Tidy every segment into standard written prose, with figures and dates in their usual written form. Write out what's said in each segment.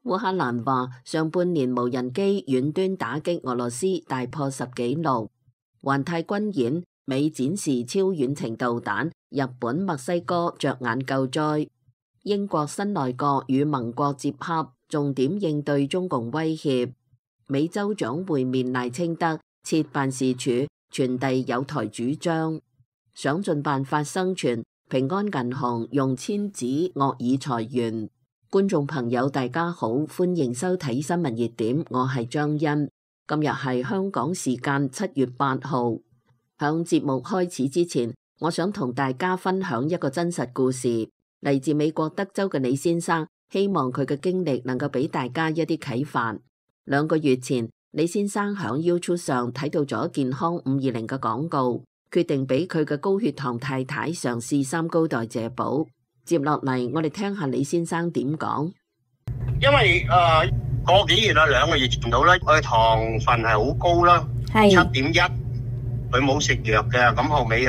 烏克蘭話上半年無人機遠端打擊俄羅斯大破10紀錄，環太軍演美展示超遠程導彈，日本、墨西哥着眼救災，英國新內閣與盟國接洽，重點應對中共威脅，美州長會面賴清德，設辦事處傳遞友台主張，想盡辦法生存，平安銀行用簽紙惡意裁員。觀眾朋友大家好，歡迎收睇新聞熱點，我係張欣。今日係香港時間7月8號。響節目開始之前，我想同大家分享一個真實故事，嚟自美國德州嘅李先生，希望佢嘅經歷能夠俾大家一啲啟發。2個月前，李先生響 YouTube 上睇到咗健康520嘅廣告，決定俾佢嘅高血糖太太嘗試三高代謝寶。接落嚟，我哋聽下李先生點講。因為個幾月啦，2個月前到啦，佢糖分係好高啦，7.1，佢冇食藥嘅，咁後尾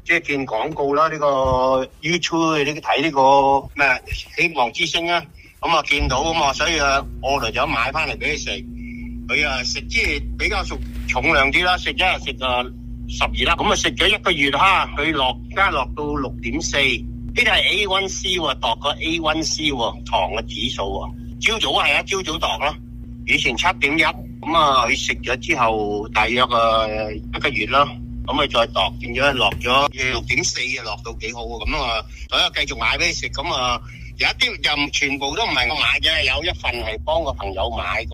即係見廣告啦，呢個 YouTube 呢睇呢個咩希望之星啊，咁見到咁啊，所以我嚟咗買翻嚟俾佢食，佢食即係比較重量啲啦，食一日食12粒，咁食咗1個月哈，佢而家落到6.4。呢啲係 A1C 喎，度個 A1C 喎，糖嘅指數喎。朝早係啊，朝早度咯。以前7.1，咁佢食咗之後，大約1個月啦，咁佢再度變咗落咗6.4，落到幾好喎。咁所以繼續買俾你食。咁有一啲又全部都唔係我買嘅，有一份係幫個朋友買。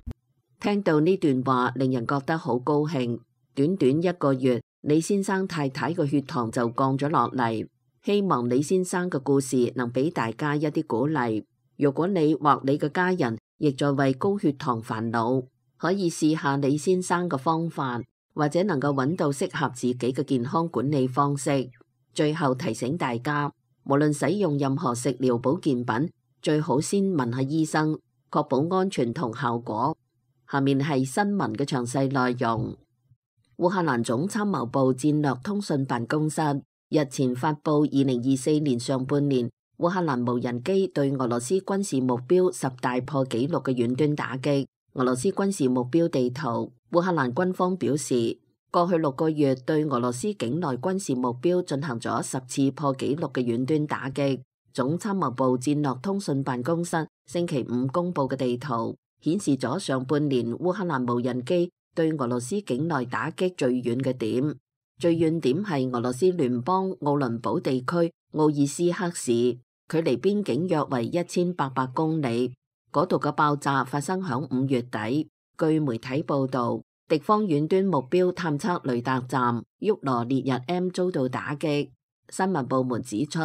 聽到呢段話，令人覺得好高興。短短1個月，李先生太太個血糖就降咗落嚟。希望李先生嘅故事能俾大家一啲鼓勵。如果你或你嘅家人亦在為高血糖煩惱，可以試下李先生嘅方法，或者能夠揾到適合自己嘅健康管理方式。最後提醒大家，無論使用任何食療保健品，最好先問下醫生，確保安全同效果。下面係新聞嘅詳細內容。烏克蘭總參謀部戰略通訊辦公室日前發布2024年上半年烏克蘭無人機對俄羅斯軍事目標10大破紀錄嘅遠端打擊。俄羅斯軍事目標地圖，烏克蘭軍方表示，過去6個月對俄羅斯境內軍事目標進行咗10次破紀錄嘅遠端打擊。總參謀部戰略通訊辦公室星期5公布嘅地圖顯示咗上半年烏克蘭無人機對俄羅斯境內打擊最遠嘅點。最遠點係俄羅斯聯邦奧倫堡地區奧爾斯克市，距離邊境約為1800公里。嗰度嘅爆炸發生響5月底。據媒體報道，敵方遠端目標探測雷達站沃羅涅日 M 遭到打擊。新聞部門指出，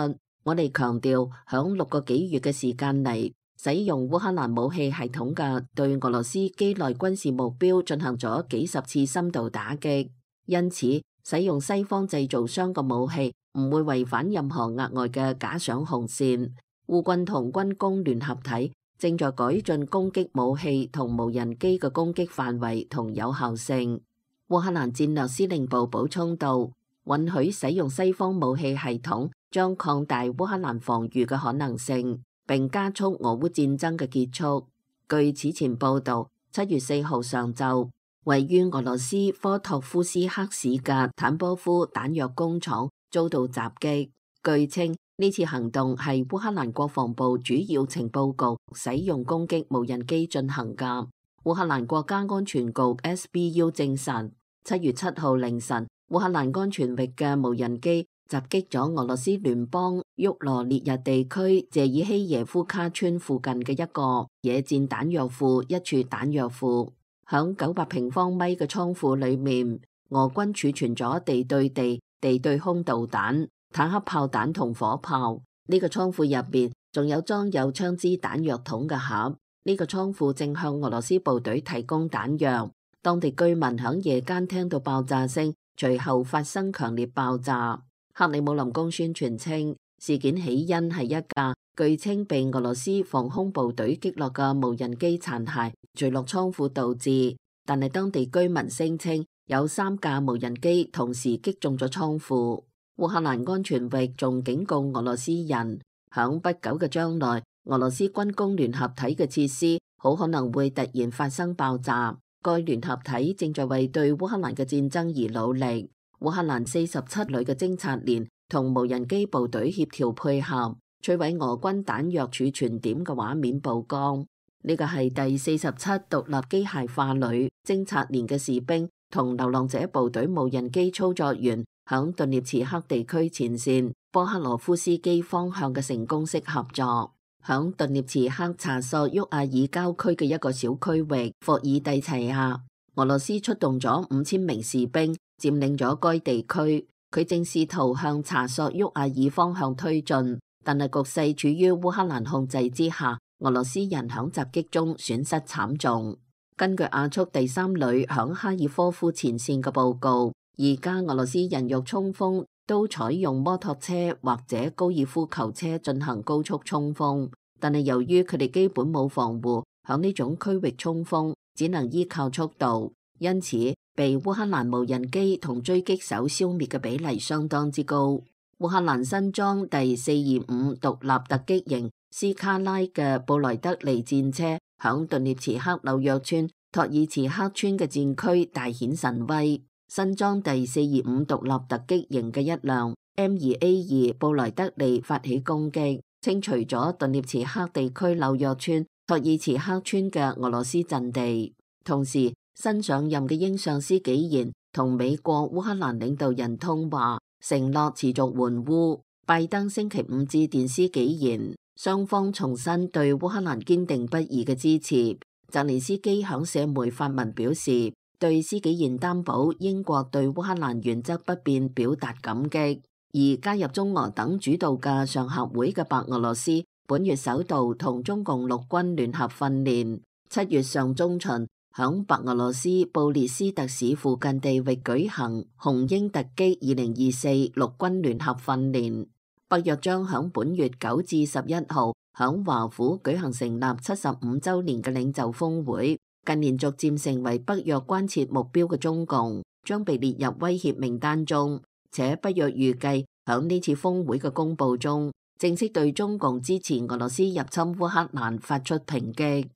我哋強調響6個幾月嘅時間嚟，使用烏克蘭武器系統嘅對俄羅斯機內軍事目標進行咗幾十次深度打擊，因此使用西方製造商嘅武器唔會違反任何額外嘅假想紅線。烏軍同軍工聯合體正在改進攻擊武器同無人機嘅攻擊範圍同有效性。烏克蘭戰略司令部補充道，允許使用西方武器系統將擴大烏克蘭防禦嘅可能性，並加速俄烏戰爭嘅結束。據此前報道，7月4號上晝，位於俄羅斯科托夫斯克市嘅坦波夫彈藥工廠遭到襲擊。據稱，呢次行動係烏克蘭國防部主要情報局使用攻擊無人機進行嘅。烏克蘭國家安全局 SBU 證實，7月7號凌晨，烏克蘭安全域嘅無人機襲擊咗俄羅斯聯邦沃羅涅日地區謝爾希耶夫卡村附近嘅一個野戰彈藥庫，一處彈藥庫。響900平方米嘅倉庫裏面，俄軍儲存咗地對地、地對空導彈、坦克炮彈同火炮。呢個倉庫入邊仲有裝有槍支彈藥筒嘅盒。呢個倉庫正向俄羅斯部隊提供彈藥。當地居民響夜間聽到爆炸聲，隨後發生強烈爆炸。克里姆林宮宣傳稱，事件起因係一架據稱被俄羅斯防空部隊擊落嘅無人機殘骸墜落倉庫導致，但係當地居民聲稱有3架無人機同時擊中咗倉庫。烏克蘭安全域仲警告俄羅斯人，響不久嘅將來，俄羅斯軍工聯合體嘅設施好可能會突然發生爆炸。該聯合體正在為對烏克蘭嘅戰爭而努力。烏克蘭47旅嘅偵察連同無人機部隊協調配合，摧毀俄軍彈藥儲存點嘅畫面曝光。呢個係第47獨立機械化旅偵察連嘅士兵同流浪者部隊無人機操作員響頓涅茨克地區前線波克羅夫斯基方向嘅成功式合作。響頓涅茨克查索沃亞爾郊區嘅一個小區域霍爾蒂齊亞，俄羅斯出動咗5000名士兵佔領咗該地區。佢正試圖向查索沃亞爾方向推進，但係局勢處於烏克蘭控制之下，俄羅斯人響襲擊中損失慘重。根據亞速第3旅響哈爾科夫前線嘅報告，而家俄羅斯人肉衝鋒都採用摩托車或者高爾夫球車進行高速衝鋒，但係由於佢哋基本冇防護，響呢種區域衝鋒只能依靠速度，因此被烏克蘭無人機同追擊手消滅嘅比例相當之高。烏克蘭新裝第425獨立突擊型斯卡拉嘅布萊德利戰車響頓涅茨克紐約村托爾茨克村嘅戰區大顯神威。新裝第425獨立突擊型嘅一輛 M2A2 布萊德利發起攻擊，清除咗頓涅茨克地區紐約村托爾茨克村嘅俄羅斯陣地。同時，新上任嘅英相斯紀賢同美國烏克蘭領導人通話，承諾持續援烏。拜登星期五致電斯紀賢，雙方重申對烏克蘭堅定不移嘅支持。澤連斯基響社媒發文表示，對斯紀賢擔保英國對烏克蘭原則不變表達感激。而加入中俄等主導嘅上合會嘅白俄羅斯，本月首度同中共陸軍聯合訓練。7月上中旬，響白俄羅斯布列斯特市附近地域舉行紅鷹突擊2024陸軍聯合訓練。北約將響本月9至11號響華府舉行成立75週年嘅領袖峰會。近年逐漸成為北約關切目標嘅中共，將被列入威脅名單中，且北約預計響呢次峰會嘅公佈中，正式對中共支持俄羅斯入侵烏克蘭發出抨擊。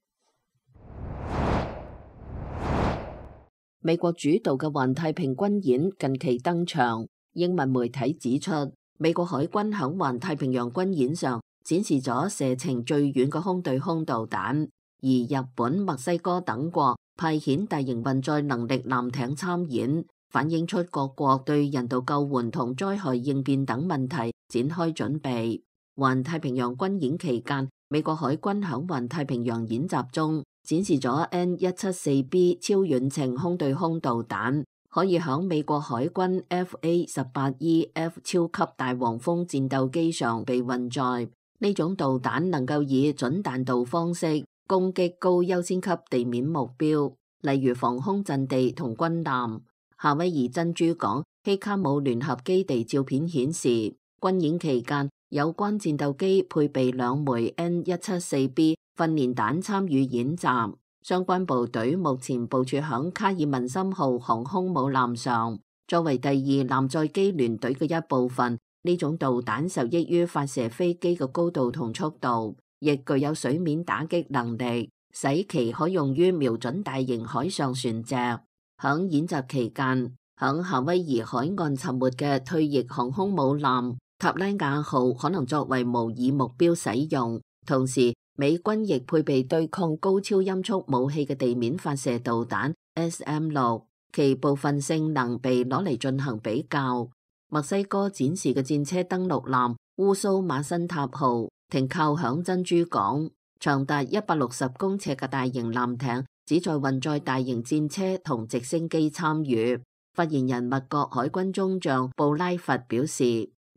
美國主導嘅環太平軍演近期登場，英文媒體指出，美國海軍響環太平洋軍演上展示咗射程最遠嘅空對空導彈。而日本、墨西哥等國派遣大型運載能力艦艇參演，反映出各國對人道救援同災害應變等問題展開準備。環太平洋軍演期間，美國海軍響環太平洋演習中展示咗 N174B 超遠程空對空導彈，可以響美國海軍 FA-18EF 超級大黃蜂戰鬥機上被運載。呢種導彈能夠以準彈道方式攻擊高優先級地面目標，例如防空陣地同軍艦。夏威夷珍珠港希卡姆聯合基地照片顯示，軍演期間有關戰鬥機配備2枚 N174B 訓練彈參與演習。相關部隊目前部署響卡爾文森號航空母艦上，作為第2艦載機聯隊嘅一部分。呢種導彈受益於發射飛機嘅高度同速度，亦具有水面打擊能力，使其可用於瞄準大型海上船隻。響演習期間，響夏威夷海岸沉沒嘅退役航空母艦塔拉雅號可能作為模擬目標使用。同時，美軍亦配備對抗高超音速武器嘅地面發射導彈 SM-6，其部分性能被攞嚟進行比較。墨西哥展示嘅戰車登陸艦烏蘇馬辛塔號停靠響珍珠港，長達160公尺嘅大型艦艇旨在運載大型戰車同直升機參與。發言人密國海軍中將布拉佛表示，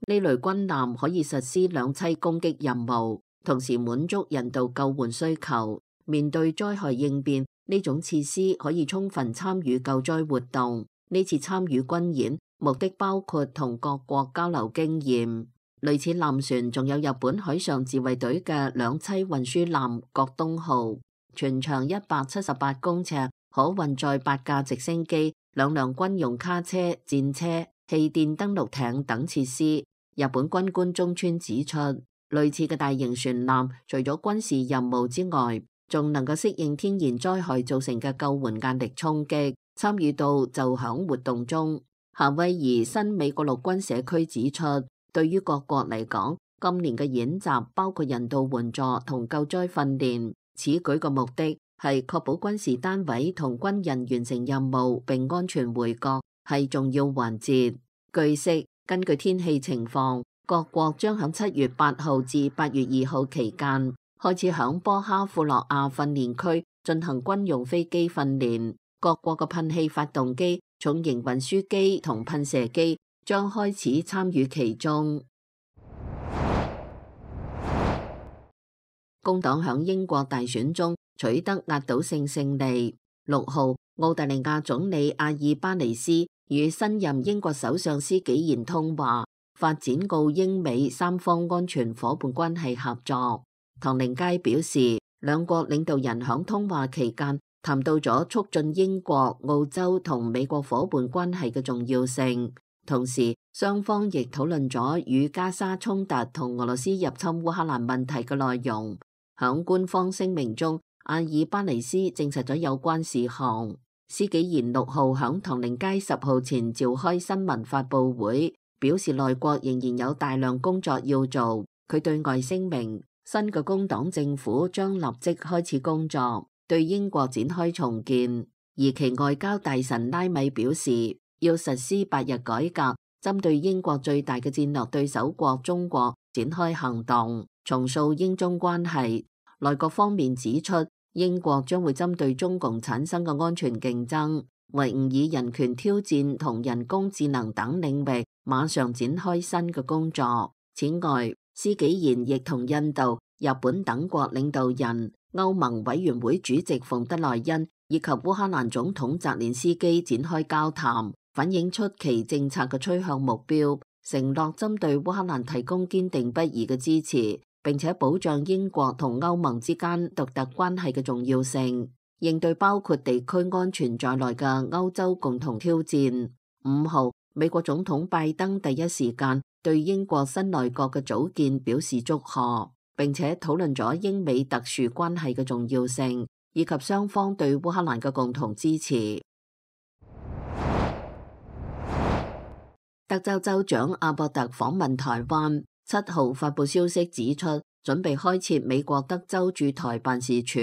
呢類軍艦可以實施兩棲攻擊任務，同時滿足人道救援需求。面對災害應變，呢種設施可以充分參與救災活動。呢次參與軍演目的包括同各國交流經驗。類似艦船仲有日本海上自衛隊嘅兩棲運輸艦國東號，全長178公尺，可運載8架直升機、2輛軍用卡車、戰車、氣墊登陸艇等設施。日本軍官中村指出，類似嘅大型船艦除咗軍事任務之外，仲能夠適應天然災害造成嘅救援壓力衝擊，參與到就響活動中。夏威夷新美國陸軍社區指出，對於各國嚟講，今年嘅演習包括人道援助同救災訓練，此舉嘅目的係確保軍事單位同軍人完成任務並安全回國，係重要環節。據悉，根據天氣情況，各國將喺7月8號至8月2號期間開始響波哈庫洛亞訓練區進行軍用飛機訓練，各國嘅噴氣發動機、重型運輸機同噴射機將開始參與其中。工黨響英國大選中取得壓倒性勝利。6號，澳大利亞總理阿爾巴尼斯與新任英國首相施紀賢通話，發展澳英美三方安全夥伴關係合作。唐寧街表示，兩國領導人響通話期間談到咗促進英國、澳洲同美國夥伴關係嘅重要性，同時雙方亦討論咗與加沙衝突同俄羅斯入侵烏克蘭問題嘅內容。響官方聲明中，阿爾巴尼斯證實咗有關事項。施紀賢6號響唐寧街10號前召開新聞發佈會，表示內閣仍然有大量工作要做。佢對外聲明，新嘅工黨政府將立即開始工作，對英國展開重建。而其外交大臣拉米表示，要實施8日改革，針對英國最大嘅戰略對手國中國展開行動，重塑英中關係。內閣方面指出，英國將會針對中共產生嘅安全競爭、維吾爾人權挑戰同人工智能等領域，馬上展開新嘅工作。此外，施紀賢亦同印度、日本等國領導人、歐盟委員會主席馮德萊恩以及烏克蘭總統澤連斯基展開交談，反映出其政策嘅趨向目標，承諾針對烏克蘭提供堅定不移嘅支持，並且保障英國同歐盟之間獨特關係嘅重要性，應對包括地區安全在內嘅歐洲共同挑戰。5號，美國總統拜登第一時間對英國新內閣嘅組建表示祝賀，並且討論咗英美特殊關係嘅重要性，以及雙方對烏克蘭嘅共同支持。德州州長阿博特訪問台灣，7號發佈消息指出，準備開設美國德州駐台辦事處。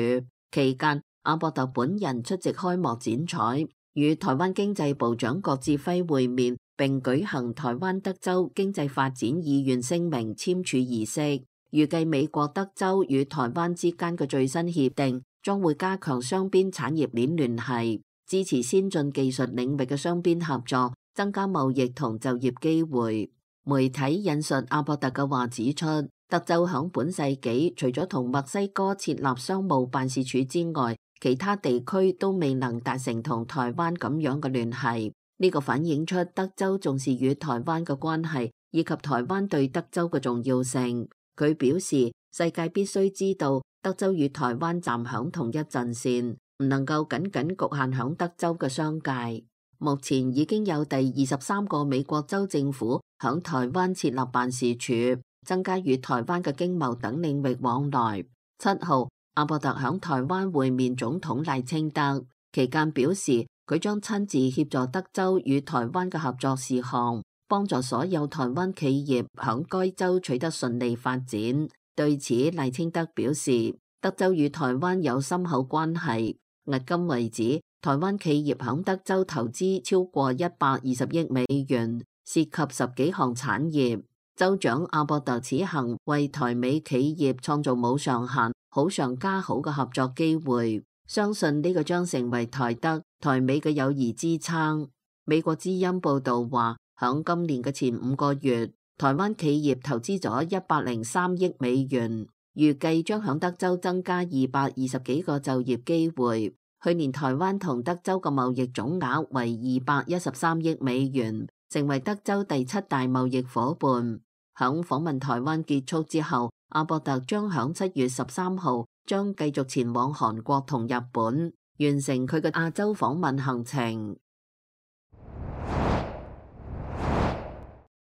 期間，阿博特本人出席開幕剪彩，與台灣經濟部長郭志輝會面，並舉行台灣德州經濟發展意願聲明簽署儀式。預計美國德州與台灣之間嘅最新協定將會加強雙邊產業鏈聯繫，支持先進技術領域嘅雙邊合作，增加貿易同就業機會。媒體引述阿博特嘅話指出，德州響本世紀除咗同墨西哥設立商務辦事處之外，其他地區都未能達成同台灣咁樣嘅聯繫。呢個反映出德州重視與台灣嘅關係，以及台灣對德州嘅重要性。佢表示，世界必須知道德州與台灣站響同一陣線，唔能夠僅僅局限響德州嘅商界。目前已經有第23個美國州政府響台灣設立辦事處，增加與台灣嘅經貿等領域往來。7號，阿博特響台灣會面總統賴清德，期間表示佢將親自協助德州與台灣嘅合作事項，幫助所有台灣企業響該州取得順利發展。對此，賴清德表示，德州與台灣有深厚關係，迄今為止，台灣企業響德州投資超過120億美元，涉及10幾項產業。州長阿博特此行為台美企業創造冇上限、好上加好嘅合作機會，相信呢個將成為台德、台美嘅友誼支撐。美國之音報道話，響今年嘅前5個月，台灣企業投資咗103億美元，預計將響德州增加220幾個就業機會。去年台灣同德州嘅貿易總額為213億美元，成為德州第7大貿易夥伴。響訪問台灣結束之後，阿博特將響7月13號將繼續前往韓國同日本，完成佢嘅亞洲訪問行程。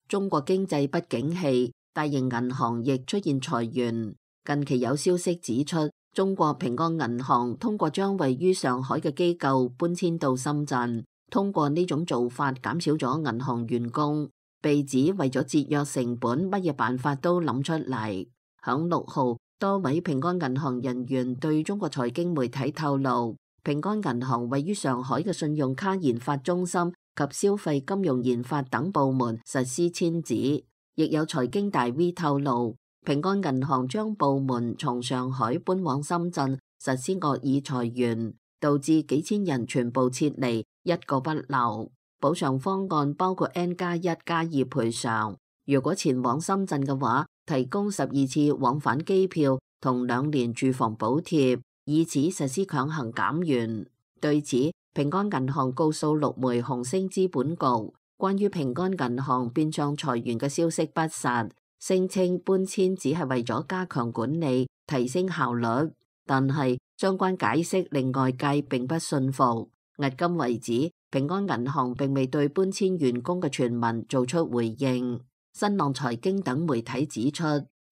中國經濟不景氣，大型銀行亦出現裁員。近期有消息指出，中國平安銀行通過將位於上海嘅機構搬遷到深圳，通過呢種做法減少咗銀行員工，被指為咗節約成本，乜嘢辦法都諗出嚟。響6號，多位平安銀行人員對中國財經媒體透露，平安銀行位於上海嘅信用卡研發中心及消費金融研發等部門實施遷址。亦有財經大 V 透露，平安銀行將部門從上海搬往深圳，實施惡意裁員，導致幾千人全部撤離，一個不留。補償方案包括 N+1+2賠償，如果前往深圳嘅話，提供12次往返機票同2年住房補貼，以此實施強行減員。對此，平安銀行告訴陸媒紅星資本局，關於平安銀行變相裁員嘅消息不實，聲稱搬遷只係為咗加強管理、提升效率，但係相關解釋令外界並不信服。迄今為止，平安銀行並未對搬遷員工嘅傳聞做出回應。新浪財經等媒體指出，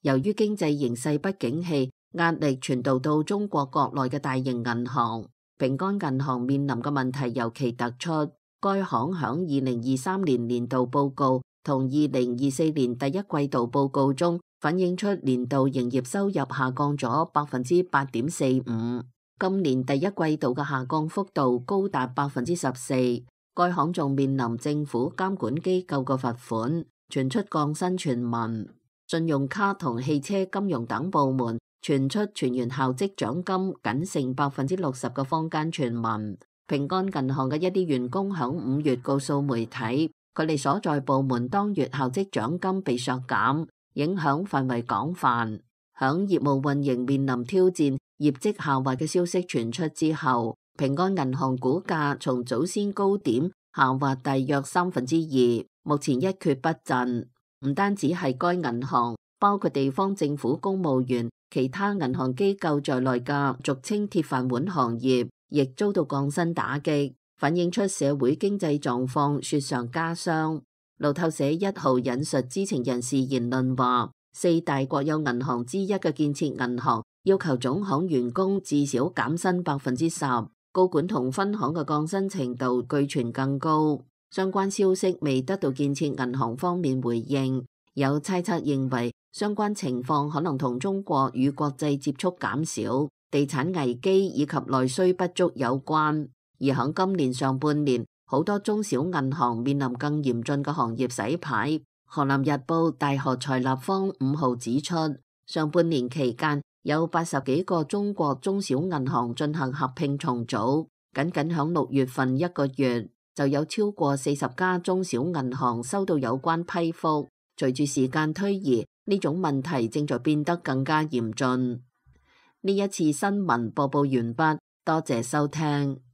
由於經濟形勢不景氣，壓力傳導到中國國內嘅大型銀行，平安銀行面臨嘅問題尤其突出。該行響2023年年度報告同2024年第一季度報告中反映出年度營業收入下降咗8.45%，今年第一季度嘅下降幅度高達14%。該行仲面臨政府監管機構嘅罰款，傳出降薪傳聞。信用卡同汽車金融等部門傳出全員校職獎金僅剩60%嘅坊間傳聞。平安銀行嘅一啲員工響5月告訴媒體，佢哋所在部門當月校職獎金被削減，影響範圍廣泛。響業務運營面臨挑戰、業績下滑嘅消息傳出之後，平安銀行股價從早先高點下滑大約2%，目前一蹶不振。唔單止係該銀行，包括地方政府公務員、其他銀行機構在內嘅俗稱鐵飯碗行業，亦遭到降薪打擊，反映出社會經濟狀況雪上加霜。路透社1號引述知情人士言論話，4大國有銀行之一嘅建設銀行要求總行員工至少減薪10%，高管同分行嘅降薪程度據傳更高。相關消息未得到建設銀行方面回應，有猜測認為相關情況可能同中國與國際接觸減少、地產危機以及內需不足有關。而喺今年上半年，好多中小銀行面臨更嚴峻嘅行業洗牌。河南日報大河財立方5號指出，上半年期間有80幾個中國中小銀行進行合併重組，僅喺6月份一個月，就有超過40家中小銀行收到有關批覆。隨住時間推移，呢種問題正在變得更加嚴峻。呢一次新聞播報完畢，多謝收聽。